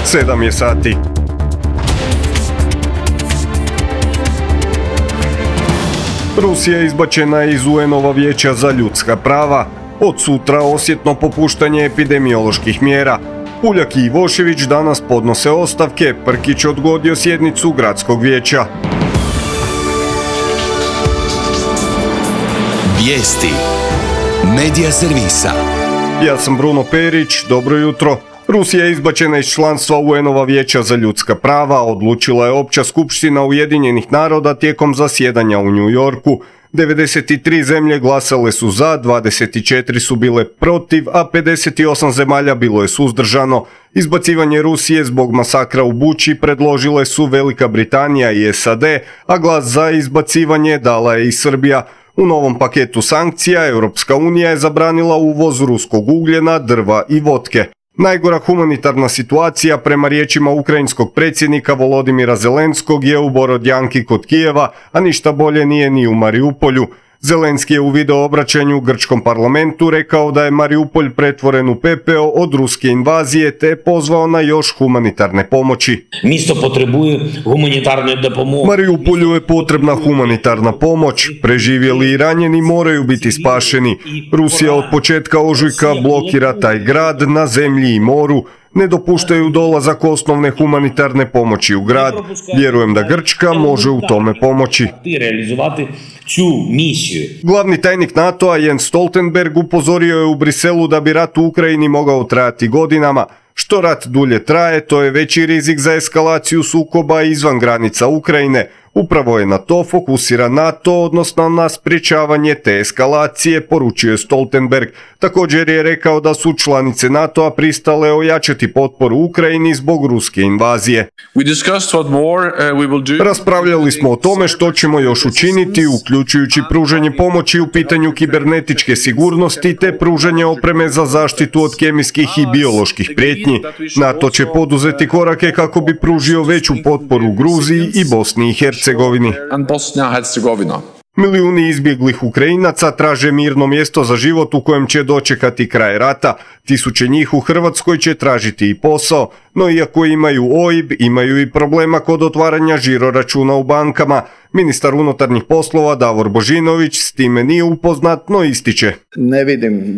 7 je sati. Rusija je izbačena iz UN-ova vijeća za ljudska prava. Od sutra osjetno popuštanje epidemioloških mjera. Puljak i Ivošević danas podnose ostavke, Prkić odgodio sjednicu gradskog vijeća. Vijesti Medija servisa. Ja sam Bruno Perić, dobro jutro. Rusija je izbačena iz članstva UN-ova vijeća za ljudska prava, odlučila je Opća skupština Ujedinjenih naroda tijekom zasjedanja u New Yorku. 93 zemlje glasale su za, 24 su bile protiv, a 58 zemalja bilo je suzdržano. Izbacivanje Rusije zbog masakra u Buči predložile su Velika Britanija i SAD, a glas za izbacivanje dala je i Srbija. U novom paketu sankcija Europska unija je zabranila uvoz ruskog ugljena, drva i votke. Najgora humanitarna situacija, prema riječima ukrajinskog predsjednika Volodimira Zelenskog, je u Borodjanki kod Kijeva, a ništa bolje nije ni u Mariupolju. Zelenski je u video obraćanju grčkom parlamentu rekao da je Mariupolj pretvoren u pepeo od ruske invazije te pozvao na još humanitarne pomoći. Місто потребує гуманітарної допомоги. Mariupolju je potrebna humanitarna pomoć. Preživjeli i ranjeni moraju biti spašeni. Rusija od početka ožujka blokira taj grad na zemlji i moru. Ne dopuštaju dolazak osnovne humanitarne pomoći u grad. Vjerujem da Grčka može u tome pomoći. Glavni tajnik NATO-a Jens Stoltenberg upozorio je u Briselu da bi rat u Ukrajini mogao trajati godinama. Što rat dulje traje, to je veći rizik za eskalaciju sukoba izvan granica Ukrajine. Upravo je na to fokusira NATO, odnosno na sprječavanje te eskalacije, poručio je Stoltenberg. Također je rekao da su članice NATO-a pristale ojačati potporu Ukrajini zbog ruske invazije. Raspravljali smo o tome što ćemo još učiniti, uključujući pružanje pomoći u pitanju kibernetičke sigurnosti te pružanje opreme za zaštitu od kemijskih i bioloških prijetnji. NATO će poduzeti korake kako bi pružio veću potporu Gruziji i Bosni i Hercegovini. Milijuni izbjeglih Ukrajinaca traže mirno mjesto za život u kojem će dočekati kraj rata. Tisuće njih u Hrvatskoj će tražiti i posao, no iako imaju OIB, imaju i problema kod otvaranja žiroračuna u bankama. Ministar unutarnjih poslova Davor Božinović s time nije upoznat, no ističe. Ne vidim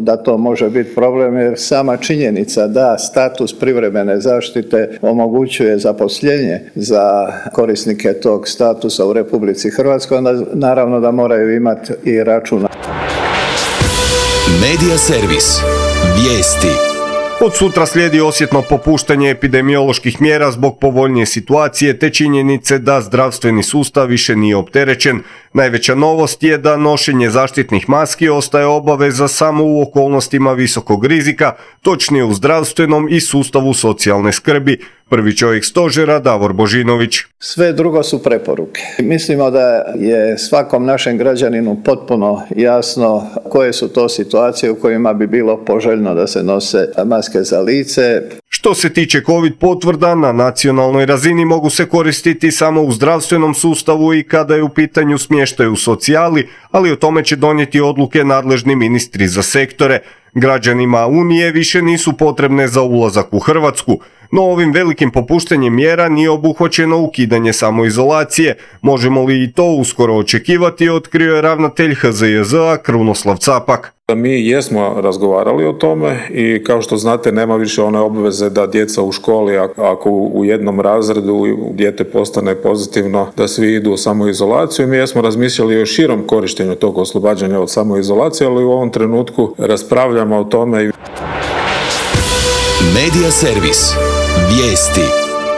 da to može biti problem, jer sama činjenica da status privremene zaštite omogućuje zaposlenje za korisnike tog statusa u Republici Hrvatskoj, onda naravno da moraju imati i računa. Medija servis. Vijesti. Od sutra slijedi osjetno popuštanje epidemioloških mjera zbog povoljnije situacije te činjenice da zdravstveni sustav više nije opterećen. Najveća novost je da nošenje zaštitnih maski ostaje obaveza samo u okolnostima visokog rizika, točnije u zdravstvenom i sustavu socijalne skrbi. Prvi čovjek stožera Davor Božinović. Sve drugo su preporuke. Mislimo da je svakom našem građaninu potpuno jasno koje su to situacije u kojima bi bilo poželjno da se nose maske za lice. Što se tiče COVID potvrda, na nacionalnoj razini mogu se koristiti samo u zdravstvenom sustavu i kada je u pitanju smještaj u socijali, ali o tome će donijeti odluke nadležni ministri za sektore. Građanima Unije više nisu potrebne za ulazak u Hrvatsku, no ovim velikim popuštanjem mjera nije obuhvaćeno ukidanje samoizolacije. Možemo li i to uskoro očekivati, otkrio je ravnatelj HZJZ-a Krunoslav Capak. Mi jesmo razgovarali o tome i kao što znate nema više one obveze da djeca u školi, ako u jednom razredu dijete postane pozitivno, da svi idu u samoizolaciju. Mi jesmo razmišljali o širom korištenju tog oslobađanja od samoizolacije, ali u ovom trenutku raspravljamo o tome. Medija servis. Vijesti.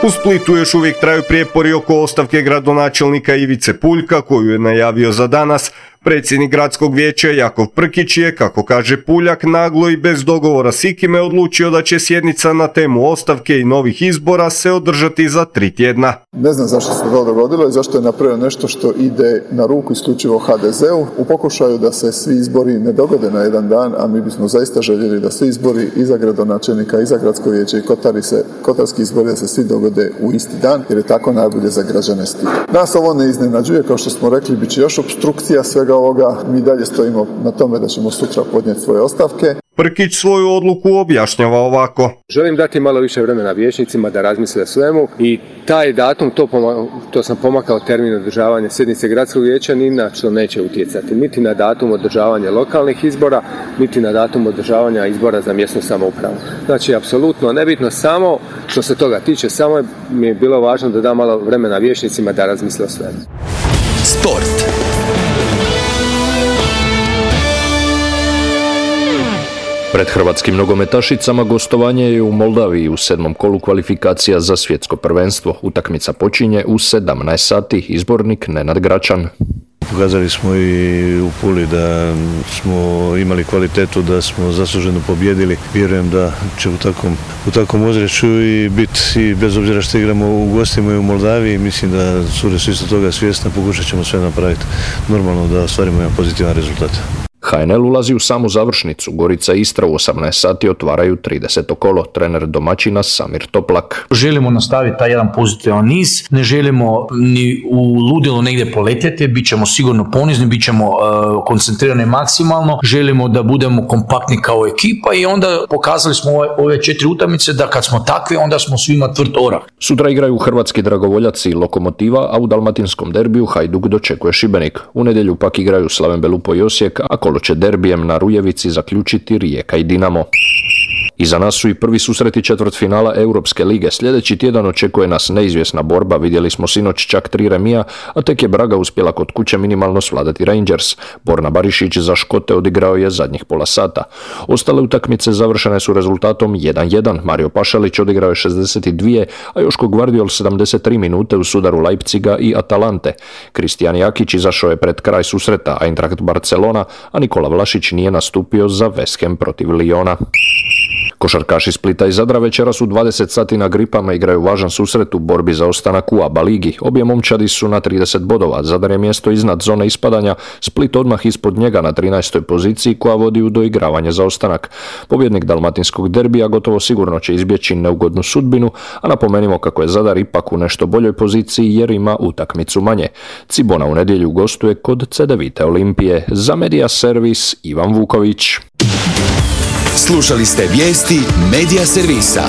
U Splitu još uvijek traju prijepori oko ostavke gradonačelnika Ivice Puljka, koju je najavio za danas. Predsjednik gradskog vijeća Jakov Prkić je, kako kaže Puljak, naglo i bez dogovora s ikime odlučio da će sjednica na temu ostavke i novih izbora se održati za 3 tjedna. Ne znam zašto se to dogodilo i zašto je napravio nešto što ide na ruku isključivo HDZ-u u pokušaju da se svi izbori ne dogode na jedan dan, a mi bismo zaista željeli da svi izbori i za gradonačelnika i za gradsko vijeće i kotarski izbori da se svi dogode u isti dan, jer je tako najbolje za građane Splita. Nas ovo ne iznenađuje, kao što smo rekli, bit će još opstrukcija svega ovoga. Mi dalje stojimo na tome da ćemo sutra podnijeti svoje ostavke. Prkić svoju odluku objašnjava ovako. Želim dati malo više vremena vijećnicima da razmisle o svemu i taj datum, to sam pomakao termin održavanja sjednice gradskog vijeća, ni na što neće utjecati. Niti na datum održavanja lokalnih izbora, niti na datum održavanja izbora za mjesnu samoupravu. Znači, apsolutno nebitno, samo što se toga tiče, samo mi je bilo važno da dam malo vremena vijećnicima da razmisle o svemu. Sport. Pred hrvatskim nogometašicama gostovanje je u Moldaviji u 7. kolu kvalifikacija za svjetsko prvenstvo. Utakmica počinje u 17 sati. Izbornik Nenad Gračan. Pokazali smo i u Puli da smo imali kvalitetu, da smo zasluženo pobjedili. Vjerujem da će u takvom ozračju i biti, i bez obzira što igramo u gostima i u Moldaviji, mislim da su isto toga svjesna, pokušat ćemo sve napraviti normalno da ostvarimo jedan pozitivan rezultat. HNL ulazi u samu završnicu. Gorica i Istra u 18 sati otvaraju 30. kolo. Trener domaćina Samir Toplak. Želimo nastaviti taj jedan pozitivan niz, ne želimo ni u ludilo negdje poletjeti, bit ćemo sigurno ponizni, bit ćemo koncentrirani maksimalno, želimo da budemo kompaktni kao ekipa i onda pokazali smo ove 4 utakmice da kad smo takvi, onda smo svima tvrd orah. Sutra igraju hrvatski dragovoljaci i Lokomotiva, a u dalmatinskom derbiju Hajduk dočekuje Šibenik. U nedjelju pak igraju Slaven Belupo i Osijek, a kolo će derbijem na Rujevici zaključiti Rijeka i Dinamo. Iza nas su i prvi susreti četvrtfinala Europske lige. Sljedeći tjedan očekuje nas neizvjesna borba. Vidjeli smo sinoć čak 3 remija, a tek je Braga uspjela kod kuće minimalno svladati Rangers. Borna Barišić za Škote odigrao je zadnjih pola sata. Ostale utakmice završene su rezultatom 1-1. Mario Pašalić odigrao je 62, a Joško Gvardiol 73 minute u sudaru Leipziga i Atalante. Kristijan Jakić izašao je pred kraj susreta Eintracht Barcelona, a Nikola Vlašić nije nastupio za West Ham protiv Liona. Košarkaši Splita i Zadra večeras u 20 sati na Gripama igraju važan susret u borbi za ostanak u ABA ligi. Obje momčadi su na 30 bodova, Zadar je mjesto iznad zone ispadanja, Split odmah ispod njega na 13. poziciji koja vodi u doigravanje za ostanak. Pobjednik dalmatinskog derbija gotovo sigurno će izbjeći neugodnu sudbinu, a napomenimo kako je Zadar ipak u nešto boljoj poziciji jer ima utakmicu manje. Cibona u nedjelju gostuje kod Cedevite Olimpije. Za Media Servis Ivan Vuković. Slušali ste vijesti Media Servisa.